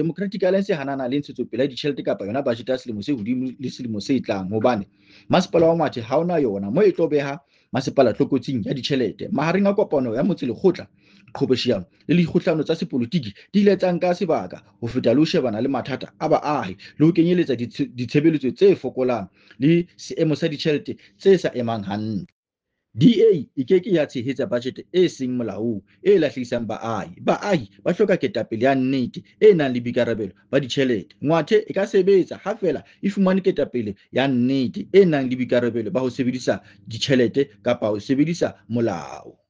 Democratic Alliance e hanana le ntshetsopele ya ditjhelete kapa yona budget ya selemo se hodimo le selemo se tlang, hobane masepala wa Ngwathe ha ona yona mo e tlo beha masepala tlokotsing ya ditjhelete. Mahareng a kopano ya motse lekgotla, qhobosheano le dikgohlano tsa sepolotiki di ile tsa nka sebaka ho feta le ho shebana le mathata a baahi le ho kenyeletsa ditshebeletso tse fokolang le seemo sa ditjhelete tse sa emang hantle. DA e ke ke ya tshehetsa bajete e seng molaong e lahlehisang baahi. Baahi ba hloka ketapele ya nnete e nang le boikarabelo ba ditjhelete. Ngwathe e ka sebetsa ha feela e fumane ketapele ya nnete e nang le boikarabelo ba ho sebedisa ditjhelete kapa ho sebedisa molao.